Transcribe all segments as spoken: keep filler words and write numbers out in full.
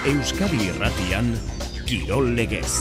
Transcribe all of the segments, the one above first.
Euskadi Irratian, Kirol Legez.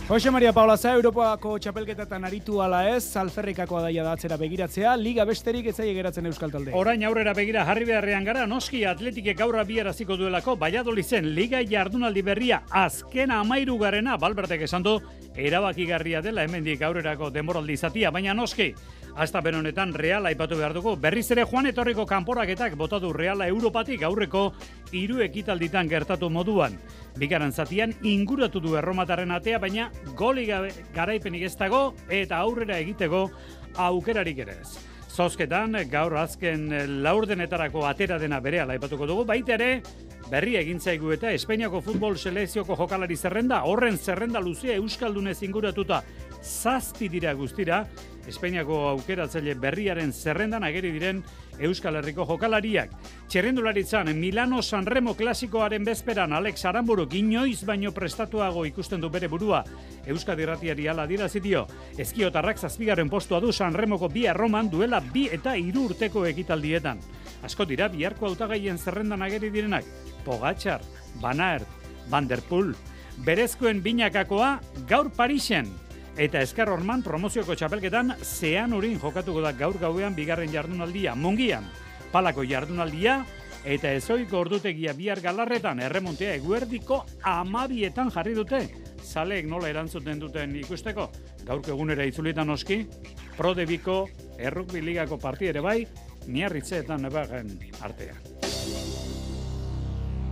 Jose Maria Paulaza, Europako txapelketetan aritu ala ez, alferrikakoa daia da atzera begiratzea, liga besterik ez zaie geratzen Euskal Talde. Orain aurrera begira jarri beharrean gara, noski Atletikek gaur bieraziko duelako, Valladolizen liga jardunaldi berria azken hamahirugarrena, Balbertek esan du, erabakigarria dela hemendik aurrerako denboraldi zatia, baina noski, hasta benonetan Reala aipatu behar dugu, berriz ere Juan etorriko kanporaketak bota du Reala Europatik aurreko hiru ekitalditan gertatu moduan. Bigarren zatian inguratu du erromatarren atea, baina goli garaipenik ez dago eta aurrera egiteko aukerarik ere ez. Zozketan, gaur azken laurdenetarako atera dena berehala aipatuko dugu, baita ere, berri egin zaigu eta Espainiako futbol selekzioko jokalari zerrenda, horren zerrenda luzea Euskaldunez inguratuta zazpi dira guztira, Espainiako aukeratzaile berriaren zerrendan ageri diren Euskal Herriko jokalariak. Txerrendularitzan, Milano Sanremo klasikoaren bezperan Alex Aranburuk inoiz baino prestatuago ikusten du bere burua. Euskadi Irratiari hala dirazi dio. Ezkiotarrak zazpigarren postua du Sanremoko bi Erroman duela bi eta hiru urteko ekitaldietan. Asko dira biharko hautagaien zerrendan ageri direnak. Pogačar, Van Aert, Van der Poel. Berezkoen binakakoa gaur Parisen. Eta Eskar Orman promozioko txapelketan zean urin jokatuko da gaur gauean bigarren jardunaldia. Mungian, palako jardunaldia eta ezoiko ordutegia bihar galarretan erremontea eguerdiko amabietan jarri dute. Zaleek nola erantzuten duten ikusteko. Gaurko egunera itzulietan oski, Prodebiko errukbi ligako parti ere bai, Miarritzeetan nebagen artean.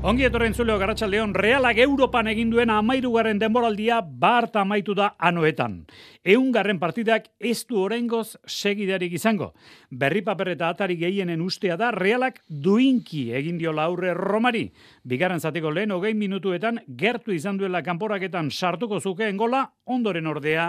Ongi etorren zuleo Garratxaldeon, Realak Europan egin duen hamahirugarren denboraldia bart amaitu da anoetan. Ehungarren partidak ez du oraingoz segidarik izango. Berri paper eta atari gehienen ustea da Realak duinki egin diola aurre Romari. Bigarren zatiko lehen hogei minutuetan gertu izan duela kanporaketan sartuko zukeen gola, ondoren ordea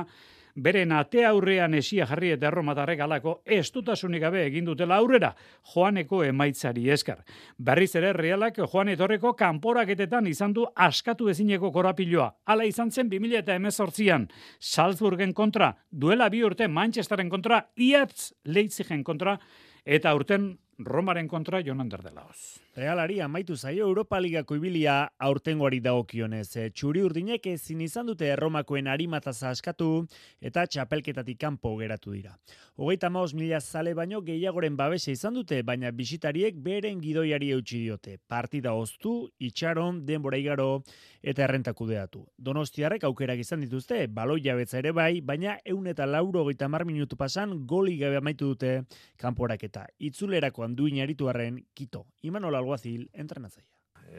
beren atea aurrean esia jarri eta erromatarrek alako estutasunik gabe egin dutela aurrera, Joaneko emaitzari eskar. Berriz ere Realak Joan etorreko kanporaketetan izan du askatu ezineko korapiloa. Hala izan zen bi mila hemezortzian Salzburgen kontra, duela bi urte Manchesteren kontra, iatz Leipzigen kontra, eta urten Romaren kontra Jonan Derdelaoz. Realari amaitu zaio Europa Ligako ibilia aurtengoari dagokionez. Txuri urdinek ezin izan dute Erromakoen arimataza askatu eta txapelketatik kanpo geratu dira. Hogeita hamabost mila zale baino gehiagoren babesa izan dute, baina bisitariek beren gidoiari eutsi diote. Partida oztu, itxaron, denbora igaro eta errenta kudeatu. Donostiarrek aukerak izan dituzte, baloi jabetza ere bai, baina ehun eta laurogeita hamar minutu pasan goli gabe amaitu dute kanporaketa. Itzulerakoan duin aritu arren, Kito. Imanol Alguazil, entrenatzaia.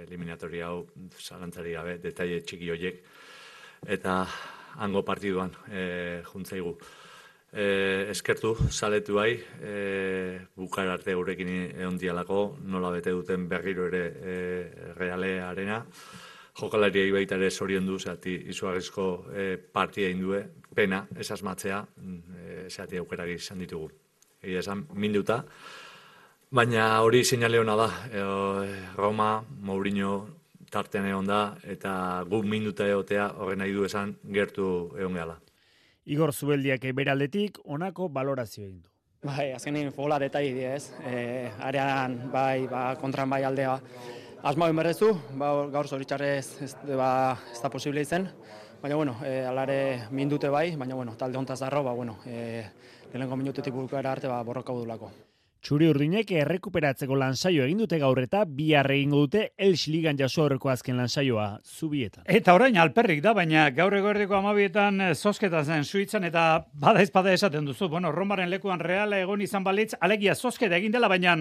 Eliminatoria hau zalantzari gabe, detaile txiki horiek, eta hango partiduan e, juntzaigu. E, eskertu, saletu bai, e, bukar arte gurekin egon dialako, nola bete duten berriro ere e, Realearena. Jokalariei baita ere zorion du, zati izugarrizko e, partia indue, pena, esasmatzea, e, zati aukerak izan ditugu. Egia esan, minduta. Baina hori seinale hona da, e, Roma, Mourinho tartean egon da, eta gu minuta egotea horren nahi du esan gertu egon gehala. Igor Zubeldiak beraldetik honako balorazio egin du. Bai, azkenin fola detai ez, e, arean bai, ba, kontran bai aldea asmau inberrezu, ba, gaur zoritxarrez ez, ba, ez da posible izen, baina bueno, e, alare mindute bai, baina bueno, talde hontaz darro, ba, bueno, e, lehenengo minutetik bukara arte ba, borroka budulako. Txuri urdinek errekuperatzeko lansaio egin dute gaur eta bihar egingo dute Elx Ligan jaso aurreko azken lansaioa Zubietan. Eta orain alperrik da, baina gaur eguerdiko amabietan zozketa zen Suitzan eta bada ezpada esaten duzu. Bueno, Romaren lekuan Reala egon izan balitz, alegia zozketa egin dela, baina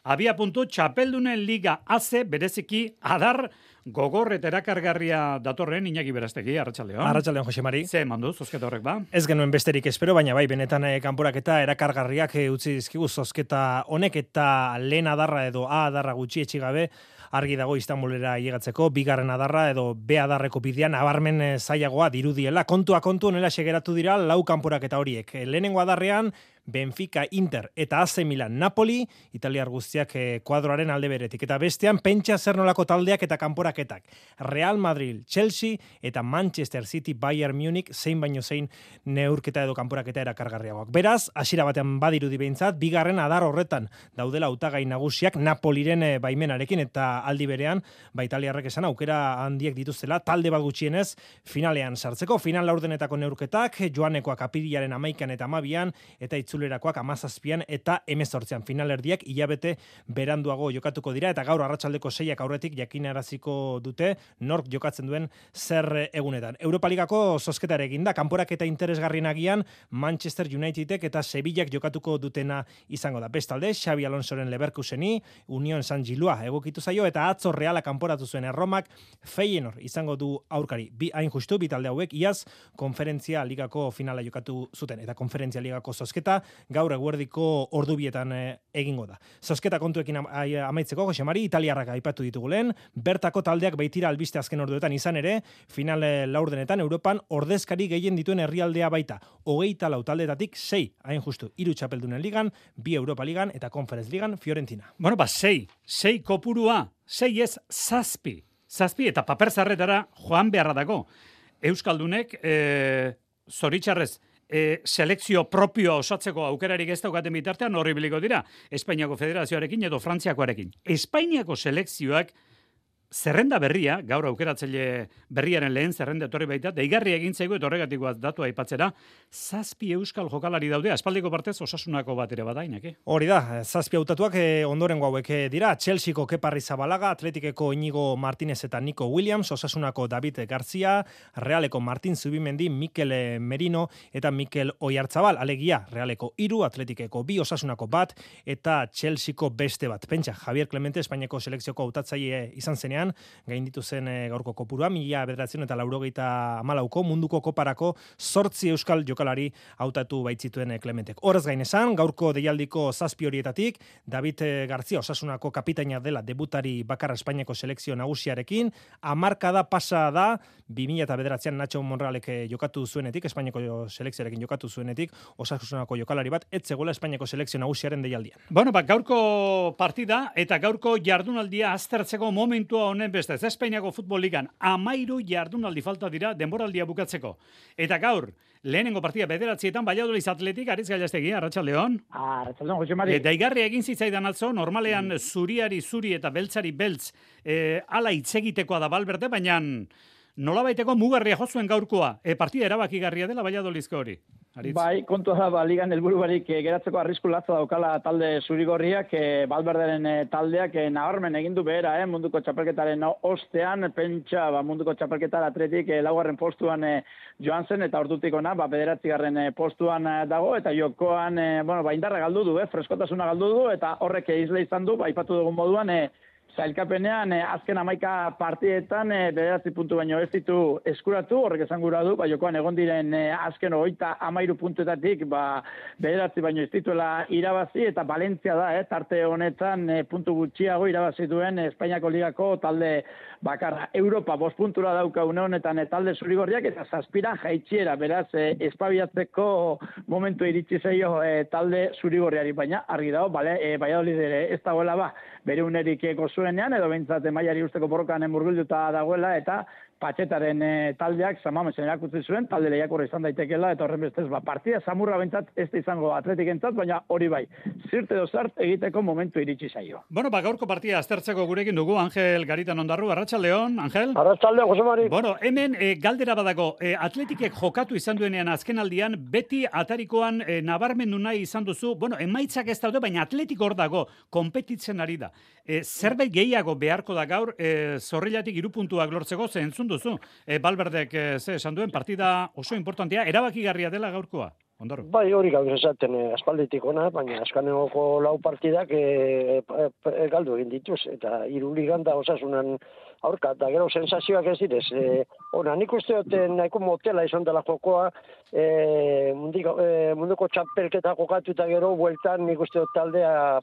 abia puntu txapeldunen liga haze bereziki adar gogor eta erakargarria datorren Iñaki Berastegi, Arratsaldeon. Arratsaldeon, Jose Mari. Ze emandu zozketa horrek ba? Ez genuen besterik espero, baina bai, benetan eh, kanporaketa erakargarriak eh, utzi dizkigu zozketa honek eta lehen adarra edo A adarra gutxi etxi gabe argi dago Istanbulera llegatzeko, bigarren adarra edo B adarreko bidean abarmen eh, zailagoa dirudiela. Kontua kontu honela segeratu dira lau kanporaketa horiek. Lehenengo adarrean Benfica, Inter eta A C Milan, Napoli, italiar guztiak eh, kuadroaren alde beretik. Eta bestean, pentsa zer nolako taldeak eta kanporaketak. Real Madrid, Chelsea eta Manchester City, Bayern Munich, zein baino zein neurketa edo kanporaketa erakargarriagoak. Beraz, hasiera batean badirudi behintzat, bigarren adar horretan daudela hautagai nagusiak Napoliren eh, baimenarekin eta aldi berean, ba italiarrek esan aukera handiek dituztela, talde bat gutxienez finalean sartzeko. Final laurdenetako neurketak, joanekoak apirilaren amaikan eta amabian, eta itzulerakoak amazazpian eta emezortzean. Finalerdiak hilabete beranduago jokatuko dira, eta gaur arratsaldeko seiak aurretik jakinaraziko dute nork jokatzen duen zer egunetan. Europa Ligako zozketare egin da, kanporaketa interesgarrien agian Manchester Unitedek eta Sevillak jokatuko dutena izango da. Bestalde, Xabi Alonsoren Leverkuseni, Union San Gilua egokitu zaio, eta atzo Reala kanporatu zuen Erromak Feyenoord izango du aurkari. Bi hain justu, bi talde hauek iaz konferentzia ligako finala jokatu zuten, eta konferentzia ligako zozketa gaur eguerdiko ordubietan e, egingo da. Zozketa kontuekin amaitzeko, Jose Mari, italiarrak aipatu ditugu lehen, bertako taldeak baitira albiste azken orduetan izan ere, final laurdenetan Europan ordezkari gehien dituen herrialdea baita. Hogeita lau taldetatik sei, hain justu, hiru txapeldunen ligan, bi Europa Ligan eta Conference Ligan Fiorentina. Bueno, ba, sei, sei kopurua, sei ez zazpi. Zazpi eta paper zarretara joan beharra dago. Euskaldunek, e, zoritxarrez, e, selekzio propioa osatzeko aukerarik ez daukaten bitartean horri biliko dira. Espainiako Federazioarekin edo Frantziakoarekin. Espainiako selekzioak zerrenda berria, gaur aukeratzaile berriaren lehen zerrenda etorri baita, deigarri egin zaigu eta horregatikoa datu aipatzera, zazpi euskal jokalari daude, aspaldiko partez Osasunako bat ere badainak, eh? Hori da, zazpi hautatuak eh, ondorengo hauek dira, Chelseako Kepa Arrizabalaga, Atletikeko Inigo Martinez eta Nico Williams, Osasunako David García, Realeko Martin Zubimendi, Mikel Merino eta Mikel Oiartzabal, alegia, Realeko hiru, Atletikeko bi, Osasunako bat eta Chelseako beste bat. Pentsa, Javier Clemente, Espainiako selekzioko hautatzaile izan zenean, gainditu zen e, gaurko kopurua, mila bederatzen eta laurogeita hamalauko munduko koparako zortzi euskal jokalari hautatu baitzituen e, Clementek. Horrez gain esan, gaurko deialdiko zazpi horietatik, David García Osasunako kapitaina dela debutari bakarra Espainiako selekzio nagusiarekin, hamarkada pasa da, bi mila bederatzean Nacho Monrealek jokatu zuenetik, Espainiako selekzioarekin jokatu zuenetik, Osasunako jokalari bat, ez zegoela Espainiako selekzio nagusiaren deialdian. Bueno, ba, gaurko partida eta gaurko jardunaldia aztertzeko momentua honen beste, ez Espainiako Futbol Ligan amairu jardunaldi falta dira denboraldia bukatzeko. Eta gaur, lehenengo partida bederatzietan Valladolid Atletik, Aritz Gallastegi, arratsaldeon. Arratsaldeon, Jose Mari. Eta igarri egin zitzaidan atzo, normalean zuriari zuri eta beltzari beltz e, ala itzegitekoa da Valverde, baina nolabaiteko mugarria jozuen gaurkoa. E, partida erabakigarria dela Valladolidko hori. Aritz. Bai, kontua da, ba, ligan helburu barik e, geratzeko arrisku latza daukala talde zurigorriak, e, Valverderen e, taldeak e, nabarmen egin du behera, eh, munduko txapelketaren ostean, pentsa ba, munduko txapelketar Atletik e, laugarren postuan e, joan zen, eta ordutik ona, ba, bederatzigarren e, postuan e, dago, eta jokoan, e, bueno, ba, indarra galdu du, eh, freskotasuna galdu du, eta horrek izle izan du, ba, aipatu dugun moduan, e, zailkapenean, eh, azken hamaika partietan eh, bederatzi puntu baino ez ditu eskuratu, horrek esan gura du, ba, jokoan egon diren eh, azken hogeita hamairu puntuetatik ba, bederatzi baino ez dituela irabazi, eta Valentzia da, eh, tarte honetan eh, puntu gutxiago irabazi duen eh, Espainiako Ligako talde bakarra. Europa bost puntura dauka une honetan eh, talde zurigorriak, eta zazpira jaitxiera, beraz, eh, espabiatzeko momentu iritsi zaio eh, talde zurigorriari, baina argi dago, bale, eh, Valladolid ere ez dagoela ba, bere unerik gozuenean, edo behintzat mailari usteko borrokan murgilduta dagoela, eta Patxetaren e, taldeak Samamesen erakutsi zuen, talde lehiakorra izan daitekeela, eta horren bestez, ba, partida samurra bentzat ez da izango Atletikentzat, baina hori bai, zirte dozart egiteko momentu iritsi zaio. Bueno, ba, gaurko partida aztertzeko gurekin dugu, Angel Garitan Ondarru, arratsaldeon, Angel? Arratsaldeon, Jose Mari. Bueno, hemen e, galdera badago, e, Atletikek jokatu izan duenean azkenaldian, beti atarikoan e, nabarmendu nahi izan duzu, bueno, emaitzak ez daude, baina Atletik hor dago, konpetitzen ari da. E, zerbait gehiago beharko da gaur, e, zorrilatik hiru puntuak lortzeko, ze entzun duzu. E, Valverdek e, ze esan duen, partida oso importantea, erabakigarria dela gaurkoa. Ondarru. Bai, hori gaur esaten eh, aspalditik ona, baina askanegoko lau partidak eh, eh, galdu egin dituz, eta hiru ligan da Osasunan aurka, eta gero sensazioak ez direz. Eh, ona, nik uste dut nahiko motela izan dela jokoa, eh, mundiko, eh, munduko txapelketa jokatu eta gero, bueltan nik uste dut taldea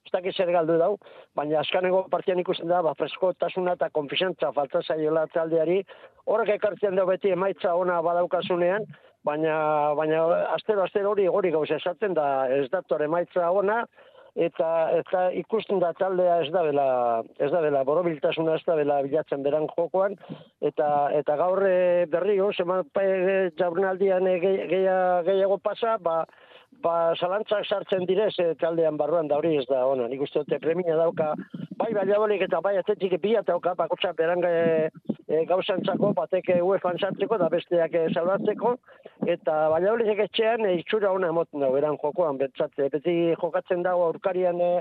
ez dakit zer galdu dau, baina askaneko partian ikusten da, ba, freskotasuna eta konfizantza falta zaiola taldeari, horrek ekartzen da beti emaitza ona badaukasunean, baina, baina astero, astero hori hori gauza esaten da ez dator emaitza ona, eta eta ikusten da taldea ez da bela ez da bela borobiltasuna ez da bela bilatzen beran jokoan eta eta gaur berriro seman jardunaldian gehiago pasa ba ba zalantzak sartzen direz taldean barruan da hori ez da ona. Nik uste dute premia dauka bai Valladolid eta bai Atletik bila dauka bakotsa beran e, e, gauzantzako batek UEFAan sartzeko da besteak salbatzeko eta Valladolidek etxean e, itxura ona emoten da beran jokoan bentsat beti jokatzen dago aurkarian e,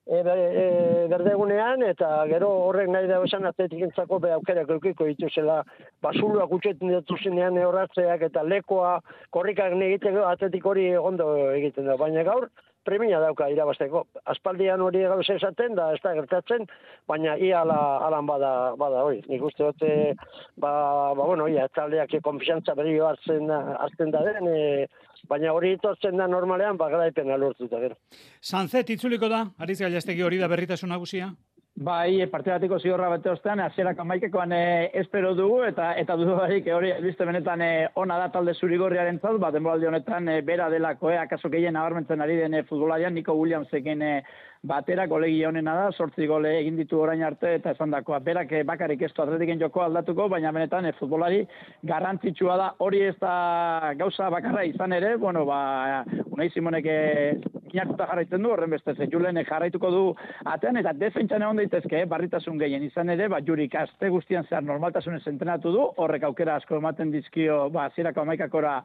e, e, berdegunean eta gero horrek nahi da esan Atletikentzako be aukerak edukiko dituzela basuluak utxetzen dituzenean horratzeak eta lekoa korrikak egiteko Atletik hori ondo egiten da, baina gaur premia dauka irabazteko. Aspaldian hori gauza esaten da, ez da gertatzen, baina ia ala, alan bada, bada hori. Nik uste dute, ba, ba bueno, ia, taldeak konfiantza berri hartzen, hartzen da den, e, baina hori itortzen da normalean, ba, garaipena lortuta gero. Sanzet, itzuliko da, Ariz Gallastegi hori da berritasun nagusia? Bai, partidatiko zigorra bete ostean, hasierak amaikekoan e, espero dugu, eta eta dudarik hori biste benetan e, ona da talde zurigorriaren zaz, bat denboraldi honetan e, bera delako, e, akaso gehien nabarmentzen ari den e, futbolarian, Nico Williamsekin e, batera, golegia honena da, sortzi gole egin ditu orain arte, eta esan dakoa, berak e, bakarrik ez du Atletiken joko aldatuko, baina benetan e, futbolari garrantzitsua da, hori ez da gauza bakarra izan ere, bueno, ba, Unai Simonek e, inartuta jarraitzen du, horren beste, Julen jarraituko du atean, eta defentsan egon daitezke, barritasun gehien izan ere, ba, Jurik aste guztian zehar normaltasunez entrenatu du, horrek aukera asko ematen dizkio, ba, zirako amaikakora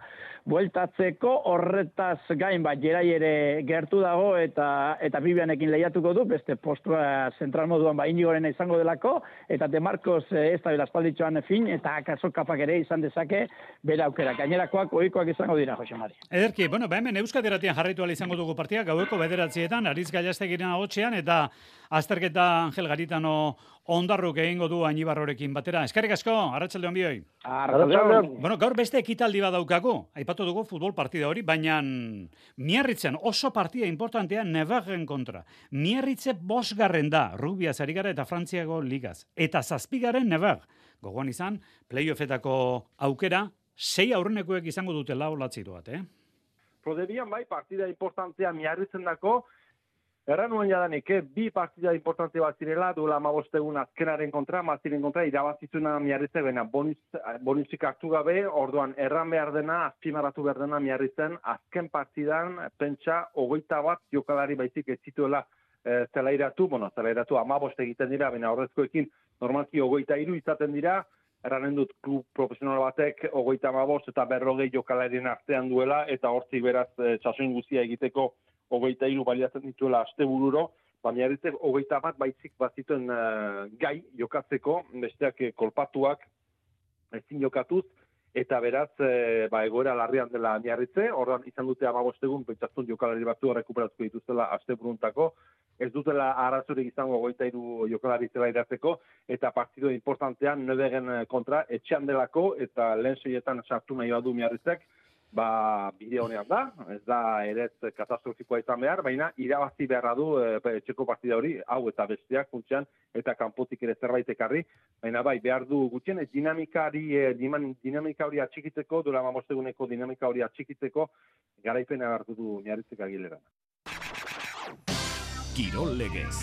bueltatzeko, horretaz gain, ba, Gerai ere gertu dago, eta eta Bibianekin lehiatuko du, beste postua zentral moduan, ba, Inigorena izango delako, eta De Marcos ez da belaspalditxoan fin, eta akaso kapak ere izan dezake, bera aukera. Gainerakoak, ohikoak izango dira, Jose Mari. Ederki, bueno, ba, hemen Euskadi Irratian jarraitu ala izango dugu partia, gaueko bederatzietan, Ariz Gallastegiren agotxean, eta azterketa Angel Garitano ondarruk egingo du Añibarrorekin batera. Eskerrik asko, arratsalde on bioi. Arratsalde. Bueno, gaur beste ekitaldi badaukagu. Aipatu dugu futbol partida hori, baina Miarritzen oso partida importantea Nevarren kontra. Miarritze bosgarren da, rugbiaz ari gara eta Frantziako ligaz. Eta zazpigaren Nevar. Gogoan izan, playoffetako aukera, sei aurrenekoek izango dutela olatzitu bat, eh? Prodebian bai, partida importantea Miarritzen dako, erran nuen jadanik, eh? bi partida importante bat zirela, duela amabostegun azkenaren kontra, maziren kontra, irabazizuna Miarritze, bena bonitzik hartu gabe, orduan erran behar dena, azpimarratu behar dena Miarritzen, azken partidan, pentsa, hogeita bat jokalari baizik ez zituela e, zelairatu, bueno, zelairatu amaboste egiten dira, bena horrezkoekin normalki hogeita hiru izaten dira, erranen dut klub profesional batek hogeita amabost eta berrogei jokalarien artean duela, eta hortzik beraz e, txasoin guztia egiteko hogeita hiru baliatzen dituela astebururo, baina eritzek hogeita bat baitzik bazituen uh, gai jokatzeko, besteak kolpatuak ezin jokatuz, eta beraz, e, ba, egoera larrian dela Miarritze, ordan izan dute amabostegun, pentsatzen jokalari batzu rekuperatuko dituzela asteburuntako, ez dutela arazorik izango hogeita hiru jokalari zela iratzeko, eta partido importantean Nebegen kontra etxean delako, eta lehen seietan sartu nahi badu Miarritzek, ba, bide honean da, ez da eretz katastrofikoa izan behar, baina irabazi beharra du e, etxeko partida hori, hau eta besteak funtsean, eta kanpotik ere zerbait ekarri, baina bai, behar du gutxien, dinamikari, e, dinamika hori atxikitzeko, dura mamosteguneko dinamika hori atxikitzeko, garaipena hartu du Miarritzek Agileran. Kirol Legez,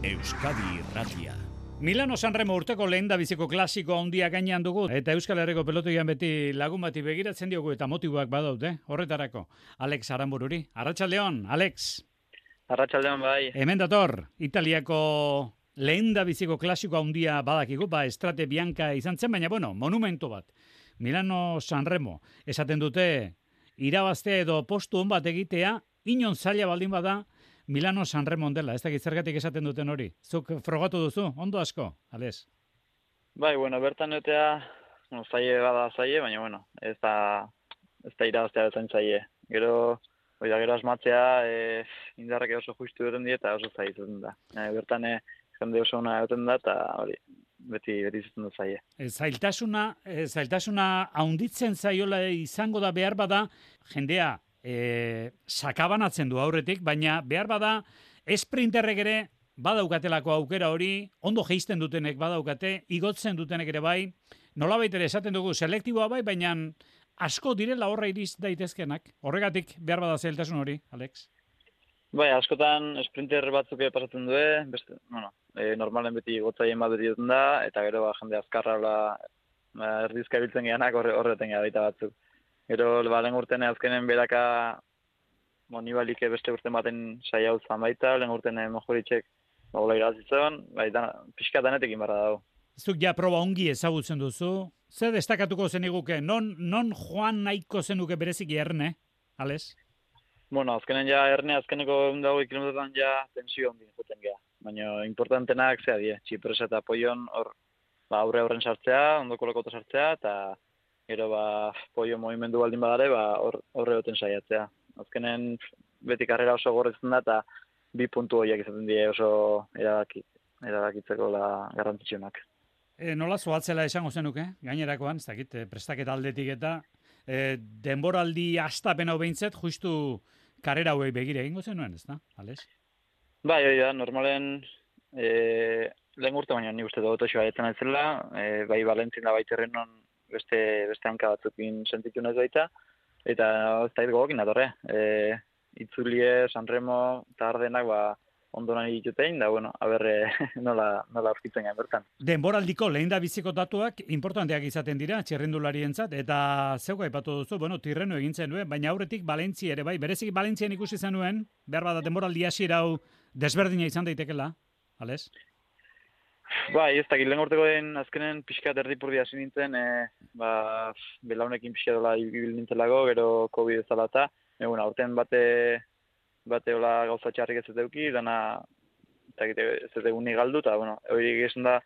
Euskadi Irratia. Milano Sanremo urteko lehen da biziko klasiko handia gainean dugu, eta Euskal Herriko pelotoian beti lagun bati begiratzen diogu eta motiboak badaute, horretarako. Alex Aranbururi. Arratsaldeon, Alex. Arratsaldeon bai. Hemen dator, Italiako lehen da biziko klasiko handia badakigu, ba, Estrade Bianca izan zen, baina bueno, monumento bat. Milano Sanremo, esaten dute, irabaztea edo postu on bat egitea, inon zaila baldin bada, Milano Sanremo dela, ez dakit zergatik esaten duten hori. Zuk frogatu duzu, ondo asko, Ales? Bai, bueno, bertan etea, no, zaie bada zaie, baina, bueno, ez da, ez da irabaztea betzen zaie. Gero, oida, gero asmatzea, e, indarrak oso justu duten die, eta oso zaie zuten da. E, bertan, e, jende oso ona duten da, eta hori, beti, beti zuten da zaie. E, zailtasuna, e, zailtasuna haunditzen zaiola izango da behar bada, jendea, E, sakabanatzen du aurretik, baina behar bada esprinterrek ere badaukatelako aukera hori, ondo geisten dutenek badaukate, igotzen dutenek ere bai, nolabait ere esaten dugu selektiboa bai, baina asko direla horra iriz daitezkenak. Horregatik behar bada zailtasun hori, Alex? Bai, askotan sprinter batzuk pasatzen du, beste, bueno, e, normalen beti gotzaien bat beti duten da, eta gero ba, jende azkarra hola, ba, erdizka biltzen geanak horre, horreten gara baita batzuk. Gero, ba, lehen urtene azkenen beraka, bo, nibalik beste urten baten saia hau zan baita, lehen urtene mojoritxek ba, hola irazitzen, bai, pixka danetekin barra dago. Zuk ja proba ongi ezagutzen duzu, ze destakatuko zeniguke, non, non joan nahiko zenuke bereziki erne, Ales? Bueno, azkenen ja erne, azkeneko egun dago kilometrotan ja tensio ondin joten geha. Baina importantenak zea die, txipresa eta poion hor ba, aurre aurren sartzea, ondoko lokota sartzea, eta gero ba, poio movimendu baldin badare, ba, horre goten saiatzea. Azkenen beti karrera oso gorretzen da, eta bi puntu horiek izaten die oso erabaki, erabakitzeko la garrantzitsunak. E, nola zoatzela esango zenuke, gainerakoan, ez dakit, prestaketa aldetik eta e, denboraldi astapen hau behintzet, justu karrera hauei begire egingo zenuen, ez da, Ales? Bai, hori da, normalen e, lehen urte baina nik uste dut osoa etzen aitzela, e, bai Valentzin da baiterren non beste, beste hanka batzukin sentitu nahez baita, eta ez da gogokin datorre. E, itzulie, Sanremo eta Ardenak ba, ondo nahi ditutein, da, bueno, aberre nola, nola aurkitzen gain bertan. Denboraldiko lehen da biziko datuak importanteak izaten dira, txirrindularientzat, eta zeuka aipatu duzu, bueno, Tirreno egintzen duen, baina aurretik Valentzia ere, bai, berezik Valentzian ikusi zenuen, behar bada denboraldi hasiera hau desberdina izan daitekela, Ales? Bai, ez dakit, lehen urtekoen azkenen pixka erdipurdi hasi nintzen, e, ba, belaunekin pixka dola ibil nintzelako, gero COVID ezala eta, e, bueno, aurten bate, bate hola gauza txarrik ez zuteuki, dana ez dut egunik galdu, eta, bueno, hori egizun da,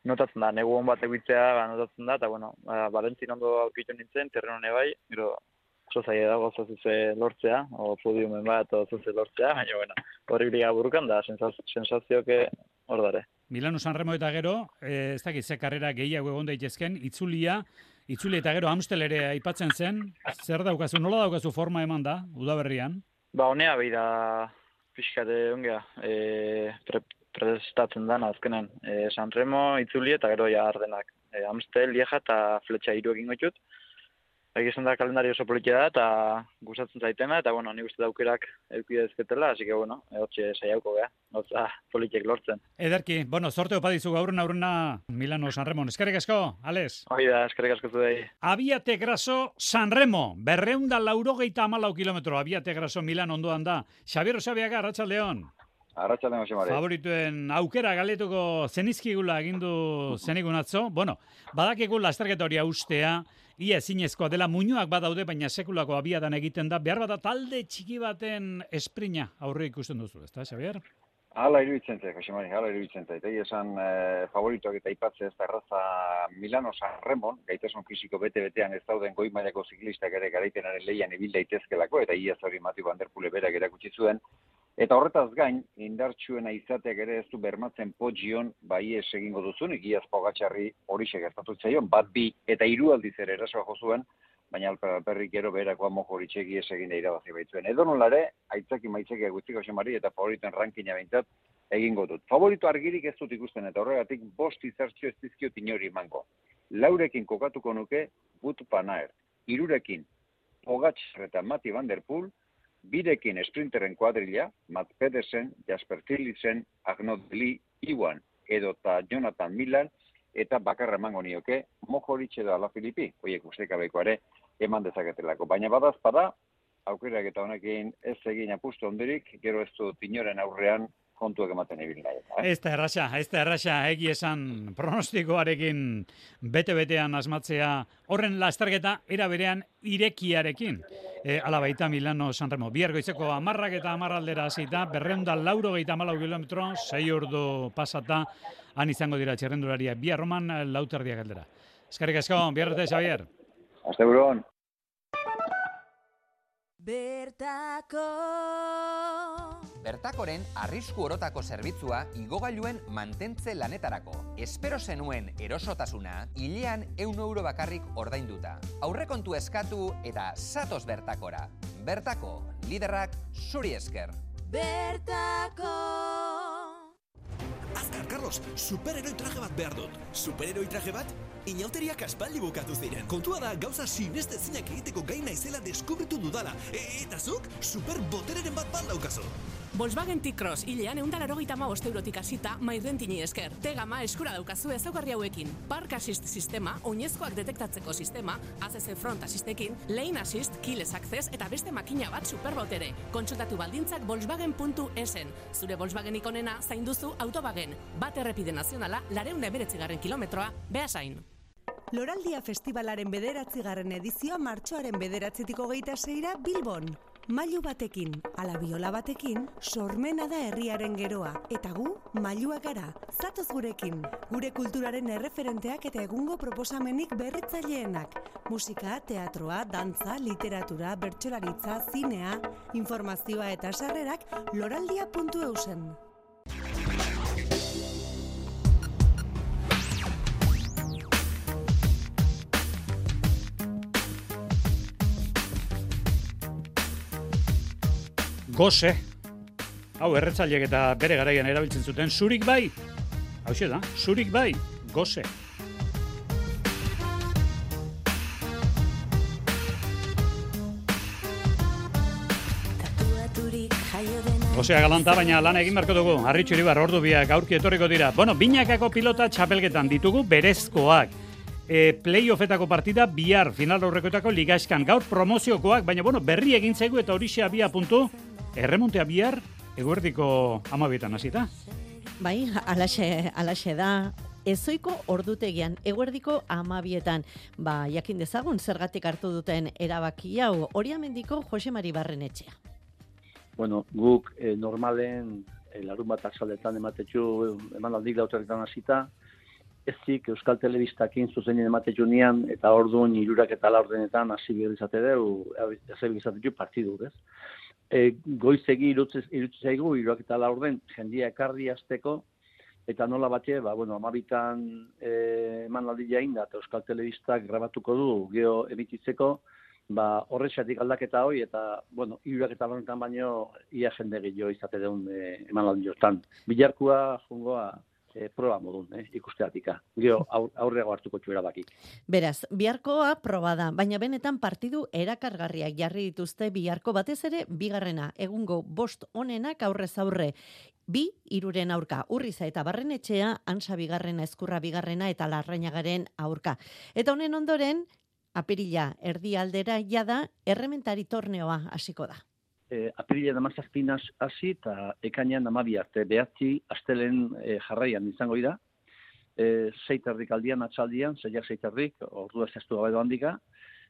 notatzen da, negu hon bat egitzea, ba, notatzen da, eta, bueno, ba, Valentzin ondo aurkitu nintzen, Terrenone bai, gero, oso zaila da gauza zuze lortzea, o podiumen bat, o zuze lortzea, baina, bueno, hori biliga burukan da, sensazioke hor dare. Milano Sanremo eta gero, eh, ez dakit, ze karrera gehiago egon daitezken, itzulia, itzulia eta gero Amstel ere aipatzen zen, zer daukazu, nola daukazu forma eman da, udaberrian? Ba, honea beira pixkate ongea, e, pre, prestatzen dana azkenen. E, Sanremo, itzulia eta gero ja Ardenak. E, Amstel, Lieja eta Fletxa hiru egin gotxut. Egizan da kalendari oso politia da, eta gustatzen zaitena, eta, bueno, nik uste daukerak eukide ezketela, así que, bueno, hortxe saiauko geha, gauza politiek lortzen. Ederki, bueno, sorte opa dizu gaurren aurrena Milano Sanremon. Eskerrik asko, Ales? Hoi da, eskerrik asko zudei. Abiate Graso Sanremo, berreunda laurogeita amalau kilometro, Abiate Graso Milan ondoan da. Xabier Osabiaga, Arratsaldeon. Arratsaldeon, Jose Mari. Favorituen aukera galetuko zenizkigula egindu zenigun atzo. Bueno, badakigu lasterketa hori ustea, ia ezinezkoa dela, muñoak badaude, baina sekulako abiadan egiten da. Behar bada talde txiki baten esprina aurre ikusten duzu, ezta, Xabier? Hala iruditzen zait, Jose Mari, hala iruditzen zait. Egi esan eh, favoritoak eta ipatze ez da erraza Milano Sanremon, gaitasun fisiko bete-betean ez dauden goi mailako ziklistak ere garaitenaren lehian ibil daitezkelako, eta iaz hori Mathieu van der Poel berak erakutsi zuen. Eta horretaz gain, indartsuena izateak ere ez du bermatzen Pogion bai ez egingo duzunik, iaz Pogačarri horixe gertatu zaion, bat bi eta hiru aldiz ere erasoa jo zuen, baina alperrik gero beherakoa mojoritxek iaz egin da irabazi baitzuen. Edo nolare, aitzaki maitzekiak guztiko Xemari eta favoriten rankina behintzat egingo dut. Favorito argirik ez dut ikusten eta horregatik bost izartxo ez dizkiot inori emango. Laurekin kokatuko nuke Wout van Aert, hirurekin Pogačar eta Mathieu van der Poel, birekin sprinteren kuadrilla, Matt Pedersen, Jasper Philipsen, Arnaud Lee, Iwan, edota Jonathan Miller, eta bakarra emango nioke Mohoric edo Alaphilippi, hoiek ustekabeko ere eman dezaketelako. Baina badazpada, aukerak eta honekin ez egin apustu ondirik, gero ez dut inoren aurrean kontuak ematen ibil nahi. Eh? Ez da erraxa, ez da erraxa, egi esan pronostikoarekin bete-betean asmatzea horren lasterketa era berean irekiarekin. E, ala baita Milano Sanremo. Bihar goizeko amarrak eta amarraldera hasita, berreunda lauro geita amalau kilometro, sei ordu pasata, han izango dira txerrendularia. Bihar roman lauterdiak aldera. Eskerrik asko, bihar arte, Xabier. Aste buruan. Bertako Bertakoren arrisku orotako zerbitzua igogailuen mantentze lanetarako. Espero zenuen erosotasuna, hilean ehun euro bakarrik ordainduta. Aurrekontu eskatu eta zatoz Bertakora. Bertako, liderrak zuri esker. Bertako! Azkar, Carlos! Carlos, superheroi traje bat behar dut. Superheroi traje bat? Inauteriak aspaldi bukatu ziren. Kontua da gauza sinestezinak egiteko gai naizela deskubritu dudala. E eta zuk, superbotereren bat bat daukazu. Volkswagen T-Cross, hilean egun da larogeita hamabost eurotik hasita mairrentini esker. T-Gama eskura daukazu ezaugarri hauekin. Park Assist sistema, oinezkoak detektatzeko sistema, A C C Front Assistekin, Lane Assist, Keyless Access eta beste makina bat superbotere. Kontsultatu baldintzak volkswagen puntu esen. Zure Volkswagen ikonena zain duzu Autobagen. Bat errepide nazionala, lareun da emeretzigarren kilometroa, Beasain. Loraldia Festivalaren bederatzigarren edizioa martxoaren bederatzitik hogeita seira Bilbon. Mailu batekin, ala biola batekin, sormena da herriaren geroa. Eta gu, mailuak gara. Zatoz gurekin. Gure kulturaren erreferenteak eta egungo proposamenik berritzaileenak. Musika, teatroa, dantza, literatura, bertsolaritza, zinea, informazioa eta sarrerak loraldia puntu eusen. Gose, hau erretzaileek eta bere garaian erabiltzen zuten, zurik bai, hau da, zurik bai, gose. Gosea galanta, baina lan egin beharko dugu, Arritxu Iribar ordu biak aurki etorriko dira. Bueno, binakako pilota txapelketan ditugu berezkoak. E, playoffetako partida bihar final aurrekoetako ligaiskan gaur promoziokoak, baina bueno, berri egin zaigu eta horixe abia puntu. Erremontea bihar, eguerdiko amabietan hasita. Bai, alaxe, alaxe da. Ezoiko ordutegian, eguerdiko amabietan. Ba, jakin dezagun zergatik hartu duten erabaki hau, Oriamendiko Jose Mari Barrenetxea. Bueno, guk eh, normalen eh, larun bat azaletan ematetxu emanaldik dauterretan hasita, ezik Euskal Telebistakin zuzenien ematetxu nian, eta orduan irurak eta laurdenetan hasi birrizate dugu, hasi birrizatetxu partidu, ez? E, goizegi irutze zaigu, iruak eta laurden jendia ekarri azteko, eta nola batxe, ba, bueno, amabitan e, emanaldi jain da, eta Euskal Telebistak grabatuko du, geho emititzeko, ba, horretxatik aldaketa hoi, eta, bueno, iruak eta laurdenetan baino, ia jende gehiago izate deun e, emanaldi jortan. Bilarkua, jungoa, E, proba modun, eh, ikusteatika. Gero aurrego hartuko txuera baki. Beraz, biharkoa proba da, baina benetan partidu erakargarriak jarri dituzte biharko batez ere bigarrena, egungo bost onenak aurrez aurre. Bi, iruren aurka, Urriza eta Barrenetxea, Ansa bigarrena, Ezkurra bigarrena eta Larrañagaren aurka. Eta honen ondoren, apirila erdi aldera jada, errementari torneoa hasiko da. E, apirilean amazazpin hasi eta ekainean amabi arte behatzi astelen e, jarraian izango dira. E, Seiterrik aldian, atxaldian, zeiak seiterrik, ordua zehaztu gabedo handika,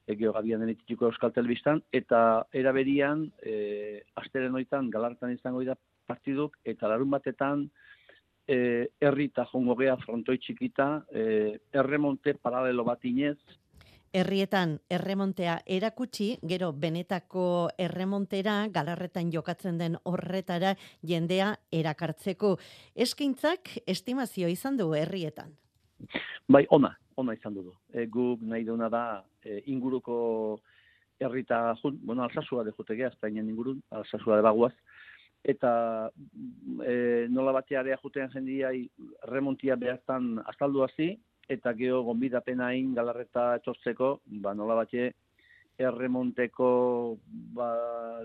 egeo gabian denetituko Euskal Telebistan, eta eraberian, e, astelen hoitan galartan izango dira partiduk, eta larun batetan, e, herri eta jongo gea frontoi txikita, e, erremonte paralelo bat inez, Herrietan erremontea erakutsi, gero benetako erremontera, galarretan jokatzen den horretara jendea erakartzeko. Eskaintzak estimazio izan du herrietan. Bai, ona, ona izan du. E, guk nahi duna da e, inguruko herrita, bueno, Alsasua de jutegea, Espainian ingurun, Alsasua de baguaz, eta e, nola batearea jutean jendia remontia behaztan azaldu hasi, eta geho gonbidapena hain galarreta etortzeko, ba nola batxe erremonteko ba,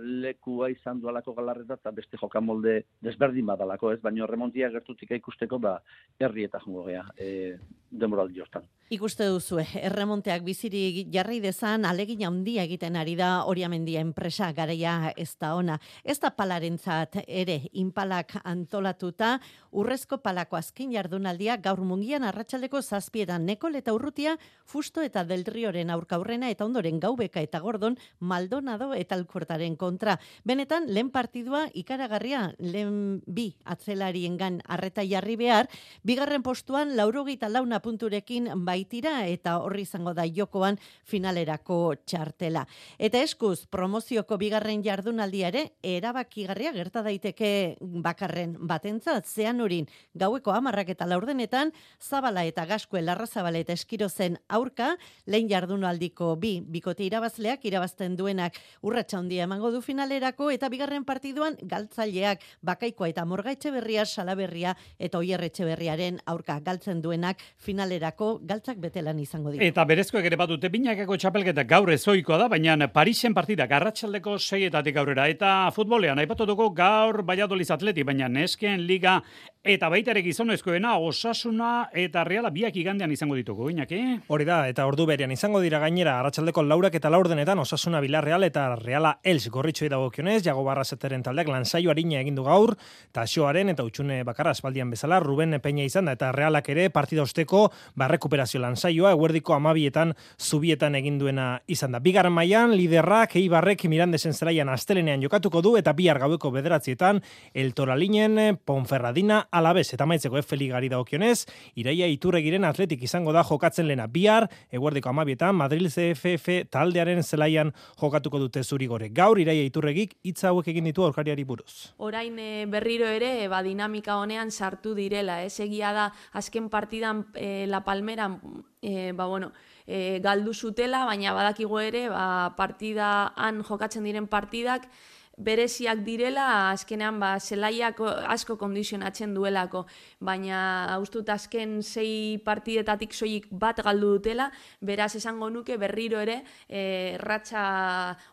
lekua izan dualako galarreta, eta beste jokamolde desberdin badalako, ez? Baina erremontia gertutik ikusteko, ba, herri eta jongo gea, e, demoraldi hortan. Ikuste duzue, erremonteak biziri jarri dezan, alegin handia egiten ari da Oriamendia enpresa, garaia ez da ona. Ez da palarentzat ere, inpalak antolatuta, urrezko palako azken jardunaldia gaur Mungian arratsaldeko zazpietan Nekol eta Urrutia, Fusto eta Delrioren aurkaurrena eta ondoren Gaubeka eta Gordon, Maldonado eta Alkortaren kontra. Benetan, lehen partidua ikaragarria, lehen bi atzelariengan arreta jarri behar, bigarren postuan laurogeita launa punturekin baitira eta horri izango da jokoan finalerako txartela. Eta eskuz, promozioko bigarren jardunaldia ere, erabakigarria gerta daiteke bakarren batentzat, zean urin gaueko hamarrak eta laurdenetan, Zabala eta Gaskue Larrazabala eta Eskirozen aurka, lehen jardunaldiko bi bikote irabazleak, irabazten duenak urratsa handia emango du finalerako, eta bigarren partiduan galtzaileak Bakaikoa eta Morga Etxeberria, Salaberria eta Oier Etxeberriaren aurka galtzen duenak finalerako galtzak betelan izango dira. Eta berezkoek ere badute binakako txapelketa gaur ezoikoa da, baina Parisen partida arratsaldeko seietatik aurrera. Eta futbolean aipatu dugu gaur Valladolid Atleti, baina nesken liga eta baita ere gizonezkoena Osasuna eta Reala biak igandean izango ditugu, Iñaki. Hori da, eta ordu berean izango dira gainera arratsaldeko laurak eta laurdenetan Osasuna Villarreal eta Reala Els gorritxoi dagokionez, Jago Barrazeteren taldeak lansaio arina egin du gaur, eta Xoaren eta Utxune Bakarra espaldian bezala, Ruben Peña izan da, eta Realak ere partida osteko barrekuperazio lansaioa, eguerdiko amabietan zubietan egin duena izan da. Bigarren mailan liderrak Eibarrek Mirandesen zelaian astelenean jokatuko du, eta bihar gaueko bederatzietan El Toralinen Ponferradina Alabez, eta maitzeko F Ligari dagokionez, Iraia Iturregiren Atletik izango da jokatzen lena bihar, eguerdiko amabietan Madrid C F F taldearen zelaian jokatuko dute Zurigorek. Gaur Iraia Iturregik hitza hauek egin ditu aurkariari buruz. Orain e, berriro ere ba, dinamika honean sartu direla, ez egia da azken partidan e, La Palmera e, ba, bueno, e, galdu zutela, baina badakigu ere ba, partidan jokatzen diren partidak bereziak direla, azkenean ba, zelaiak asko kondizionatzen duelako, baina ustut azken sei partidetatik soilik bat galdu dutela, beraz esango nuke berriro ere e, ratxa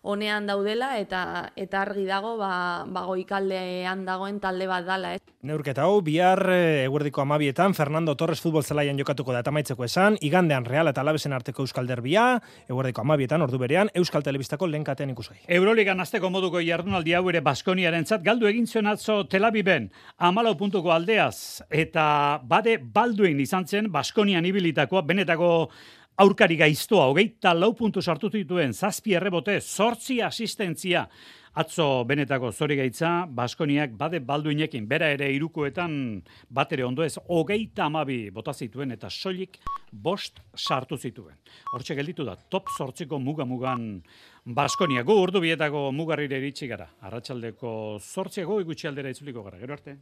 honean daudela eta eta argi dago ba, ba goikaldean dagoen talde bat dala. Eh? Neurketa hau, bihar eguerdiko amabietan Fernando Torres futbol zelaian jokatuko da eta maitzeko esan, igandean Real eta Alavesen arteko Euskal Derbia, eguerdiko amabietan ordu berean, Euskal Telebistako lehen katean ikusgai. Euroligan azteko moduko jardunaldi hau ere Baskoniarentzat galdu egin zuen atzo Tel Aviven hamalau puntuko aldeaz, eta bade Balduin izan zen Baskonian ibilitakoa, benetako aurkari gaiztoa, hogeita lau puntu sartu zituen, zazpi errebote, zortzi asistentzia. Atzo benetako zorigaitza, Baskoniak bade Balduinekin, bera ere irukoetan bat ere ondo ez, hogeita amabi bota zituen eta soilik bost sartu zituen. Hortxe gelditu da, top zortziko muga-mugan Baskonia. Gu urdu bietako mugarrire iritsi gara. Arratsaldeko zortziago igutxi aldera itzuliko gara. Gero arte.